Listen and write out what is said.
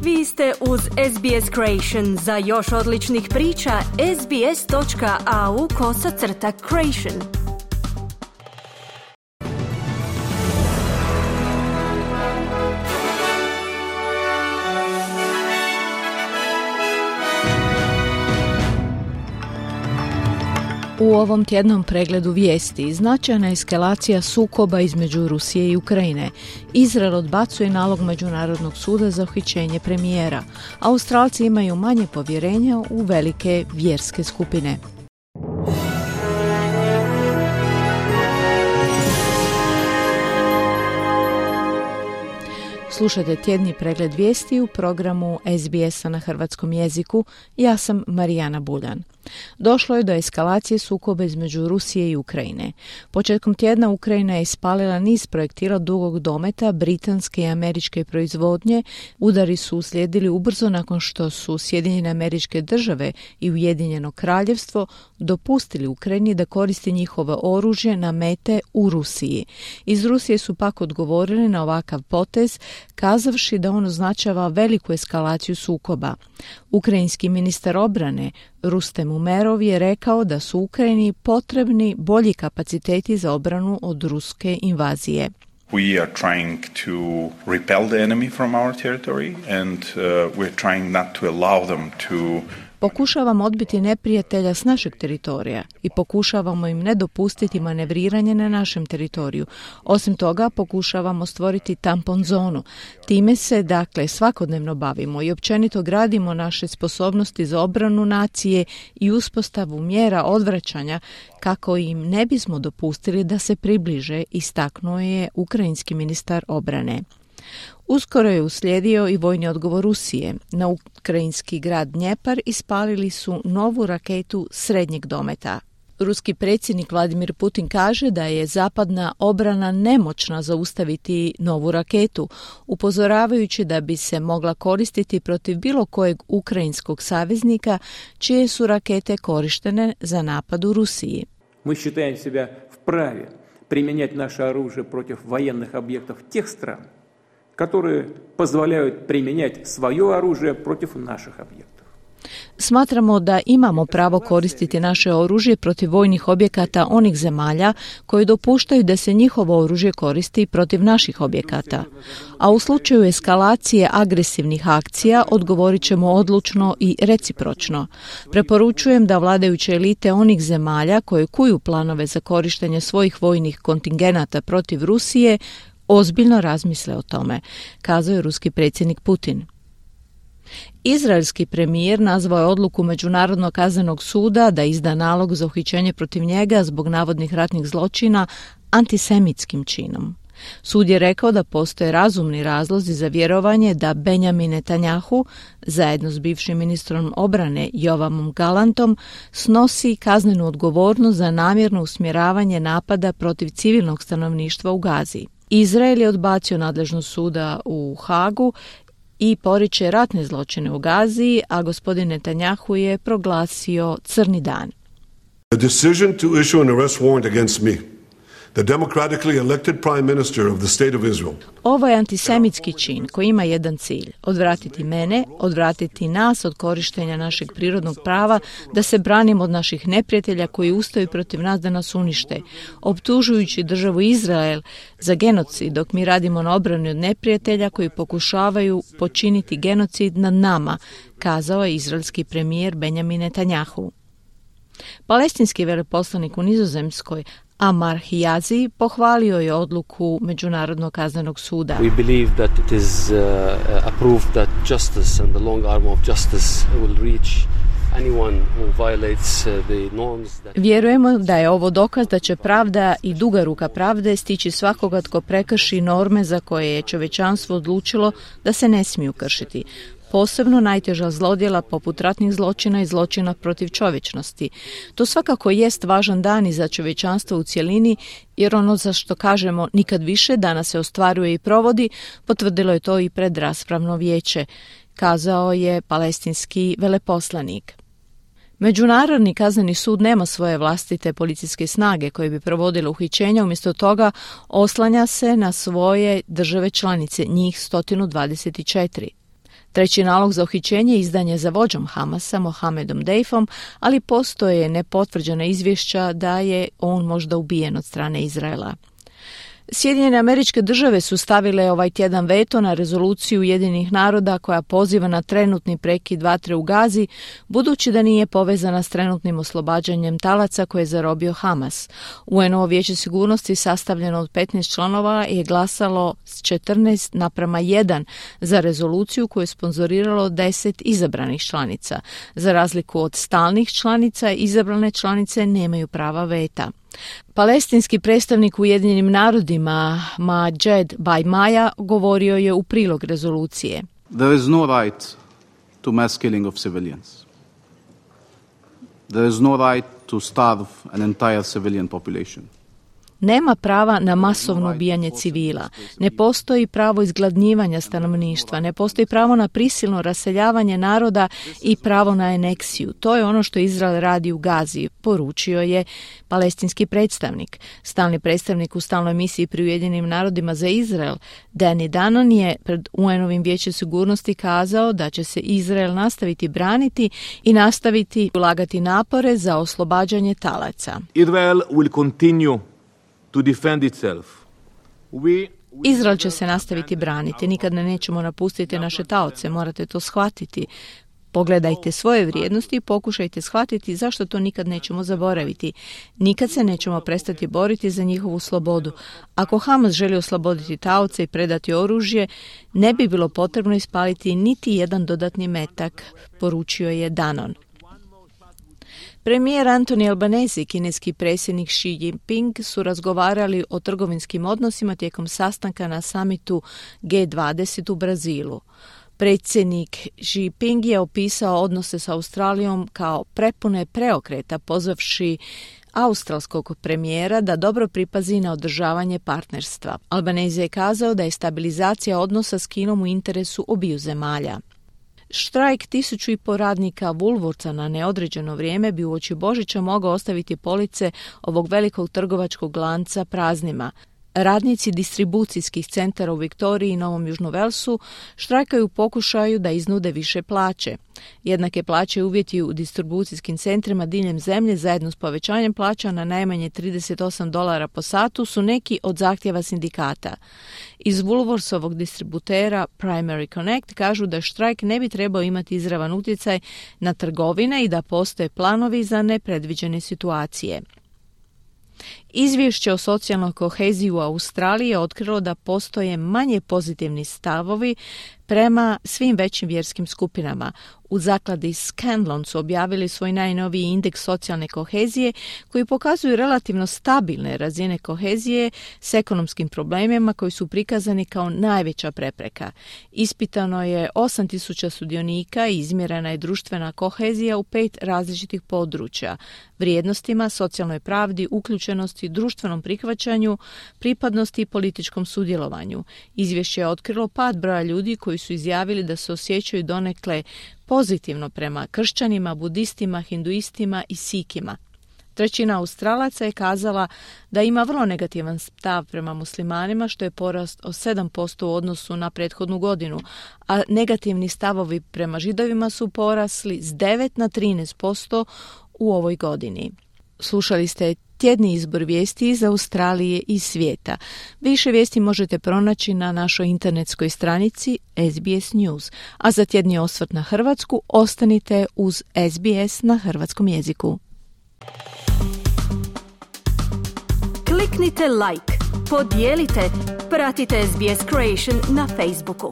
Vi ste uz SBS Creation. Za još odličnih priča, sbs.au/creation. U ovom tjednom pregledu vijesti značajna eskalacija sukoba između Rusije i Ukrajine. Izrael odbacuje nalog Međunarodnog suda za uhićenje premijera. Australci imaju manje povjerenja u velike vjerske skupine. Slušajte tjedni pregled vijesti u programu SBS-a na hrvatskom jeziku. Ja sam Marijana Buljan. Došlo je do eskalacije sukoba između Rusije i Ukrajine. Početkom tjedna Ukrajina je ispalila niz projektila dugog dometa britanske i američke proizvodnje. Udari su uslijedili ubrzo nakon što su Sjedinjene Američke Države i Ujedinjeno Kraljevstvo dopustili Ukrajini da koristi njihovo oružje na mete u Rusiji. Iz Rusije su pak odgovorili na ovakav potez, kazavši da on označava veliku eskalaciju sukoba. Ukrajinski ministar obrane Rustem Umerov je rekao da su Ukrajini potrebni bolji kapaciteti za obranu od ruske invazije. We are trying to repel the enemy from our territory and we're trying not to allow them to Pokušavamo odbiti neprijatelja s našeg teritorija i pokušavamo im ne dopustiti manevriranje na našem teritoriju. Osim toga, pokušavamo stvoriti tampon zonu. Time se, dakle, svakodnevno bavimo i općenito gradimo naše sposobnosti za obranu nacije i uspostavu mjera odvraćanja kako im ne bismo dopustili da se približe, istaknuo je ukrajinski ministar obrane. Uskoro je uslijedio i vojni odgovor Rusije. Na ukrajinski grad Dnjepar ispalili su novu raketu srednjeg dometa. Ruski predsjednik Vladimir Putin kaže da je zapadna obrana nemoćna zaustaviti novu raketu, upozoravajući da bi se mogla koristiti protiv bilo kojeg ukrajinskog saveznika čije su rakete korištene za napad u Rusiji. Mi считаем себя вправе применять наше оружие против военных объектов тех стран, которые позволяют применять свое оружие против наших объектов. Smatramo da imamo pravo koristiti naše oružje protiv vojnih objekata onih zemalja koji dopuštaju da se njihovo oružje koristi protiv naših objekata. A u slučaju eskalacije agresivnih akcija odgovorit ćemo odlučno i recipročno. Preporučujem da vladajuće elite onih zemalja koje kuju planove za korištenje svojih vojnih kontingenata protiv Rusije ozbiljno razmisle o tome, kazao je ruski predsjednik Putin. Izraelski premijer nazvao je odluku Međunarodnog kaznenog suda da izda nalog za uhićenje protiv njega zbog navodnih ratnih zločina antisemitskim činom. Sud je rekao da postoje razumni razlozi za vjerovanje da Benjamin Netanjahu, zajedno s bivšim ministrom obrane Joavom Galantom, snosi kaznenu odgovornost za namjerno usmjeravanje napada protiv civilnog stanovništva u Gazi. Izrael je odbacio nadležnost suda u Hagu i poriče ratne zločine u Gazi, a gospodin Netanjahu je proglasio crni dan. The decision to issue an arrest warrant against me, the democratically elected prime minister of the state of Israel. Ovo je antisemitski čin koji ima jedan cilj: odvratiti mene, odvratiti nas od korištenja našeg prirodnog prava da se branimo od naših neprijatelja koji ustaju protiv nas da nas unište, optužujući državu Izrael za genocid, dok mi radimo na obrani od neprijatelja koji pokušavaju počiniti genocid nad nama, kazao je izraelski premijer Benjamin Netanjahu. Palestinski veleposlanik u Nizozemskoj Amar Hijazi pohvalio je odluku Međunarodnog kaznenog suda. We believe that it is a proof that justice and the long arm of justice will reach anyone who violates the norms. Vjerujemo da je ovo dokaz da će pravda i duga ruka pravde stići svakoga tko prekrši norme za koje je čovječanstvo odlučilo da se ne smiju kršiti. Posebno najteža zlodjela poput ratnih zločina i zločina protiv čovječnosti. To svakako jest važan dan i za čovječanstvo u cjelini, jer ono za što kažemo nikad više danas se ostvaruje i provodi, potvrdilo je to i predraspravno vijeće, kazao je palestinski veleposlanik. Međunarodni kazneni sud nema svoje vlastite policijske snage koje bi provodile uhićenja, umjesto toga oslanja se na svoje države članice, njih 124. Treći nalog za uhićenje izdan je za vođom Hamasa, Mohamedom Deifom, ali postoje nepotvrđena izvješća da je on možda ubijen od strane Izraela. Sjedinjene Američke Države su stavile ovaj tjedan veto na rezoluciju Ujedinjenih naroda koja poziva na trenutni prekid vatre u Gazi, budući da nije povezana s trenutnim oslobađanjem talaca koje je zarobio Hamas. UN-ovo vijeće sigurnosti sastavljeno od 15 članova je glasalo s 14:1 za rezoluciju koju je sponzoriralo 10 izabranih članica. Za razliku od stalnih članica, izabrane članice nemaju prava veta. Palestinski predstavnik u Ujedinjenim narodima Majed Bajmaja govorio je u prilog rezolucije. There is no right to mass killing of civilians. There is no right to starve an entire civilian population. Nema prava na masovno ubijanje civila, ne postoji pravo izgladnjivanja stanovništva, ne postoji pravo na prisilno raseljavanje naroda i pravo na aneksiju. To je ono što Izrael radi u Gazi, poručio je palestinski predstavnik. Stalni predstavnik u stalnoj misiji pri Ujedinjenim narodima za Izrael, Danny Danon, je pred UN-ovim vijećem sigurnosti kazao da će se Izrael nastaviti braniti i nastaviti ulagati napore za oslobađanje talaca. Israel will continue to defend itself. Izrael će se nastaviti braniti, nikad ne nećemo napustiti naše taoce, morate to shvatiti. Pogledajte svoje vrijednosti i pokušajte shvatiti zašto to nikad nećemo zaboraviti. Nikad se nećemo prestati boriti za njihovu slobodu. Ako Hamas želi osloboditi taoce i predati oružje, ne bi bilo potrebno ispaliti niti jedan dodatni metak, poručio je Danon. Premijer Antoni Albanese i kineski predsjednik Xi Jinping su razgovarali o trgovinskim odnosima tijekom sastanka na samitu G20 u Brazilu. Predsjednik Xi Jinping je opisao odnose s Australijom kao prepune preokreta, pozvavši australskog premijera da dobro pripazi na održavanje partnerstva. Albanese je kazao da je stabilizacija odnosa s Kinom u interesu obiju zemalja. Štrajk 1.500 radnika Woolworthsa na neodređeno vrijeme bi uoči Božića mogao ostaviti police ovog velikog trgovačkog lanca praznima. Radnici distribucijskih centara u Viktoriji i Novom Južnom Velsu štrajkaju u pokušaju da iznude više plaće. Jednake plaće uvjeti u distribucijskim centrima diljem zemlje zajedno s povećanjem plaća na najmanje $38 po satu su neki od zahtjeva sindikata. Iz Woolworthsovog distributera Primary Connect kažu da štrajk ne bi trebao imati izravan utjecaj na trgovine i da postoje planovi za nepredviđene situacije. Izvješće o socijalnoj koheziji u Australiji je otkrilo da postoje manje pozitivni stavovi prema svim većim vjerskim skupinama. U zakladi Scanlon su objavili svoj najnoviji indeks socijalne kohezije koji pokazuju relativno stabilne razine kohezije s ekonomskim problemima koji su prikazani kao najveća prepreka. Ispitano je 8.000 sudionika i izmjerena je društvena kohezija u 5 različitih područja: vrijednostima, socijalnoj pravdi, uključenosti, društvenom prihvaćanju, pripadnosti i političkom sudjelovanju. Izvješće je otkrilo pad broja ljudi koji su izjavili da se osjećaju donekle pozitivno prema kršćanima, budistima, hinduistima i sikima. Trećina Australaca je kazala da ima vrlo negativan stav prema muslimanima, što je porast od 7% u odnosu na prethodnu godinu, a negativni stavovi prema židovima su porasli s 9 na 13% u ovoj godini. Slušali ste tjedni izbor vijesti iz Australije i svijeta. Više vijesti možete pronaći na našoj internetskoj stranici SBS News, a za tjedni osvrt na Hrvatsku ostanite uz SBS na hrvatskom jeziku. Kliknite like, podijelite, pratite SBS Creation na Facebooku.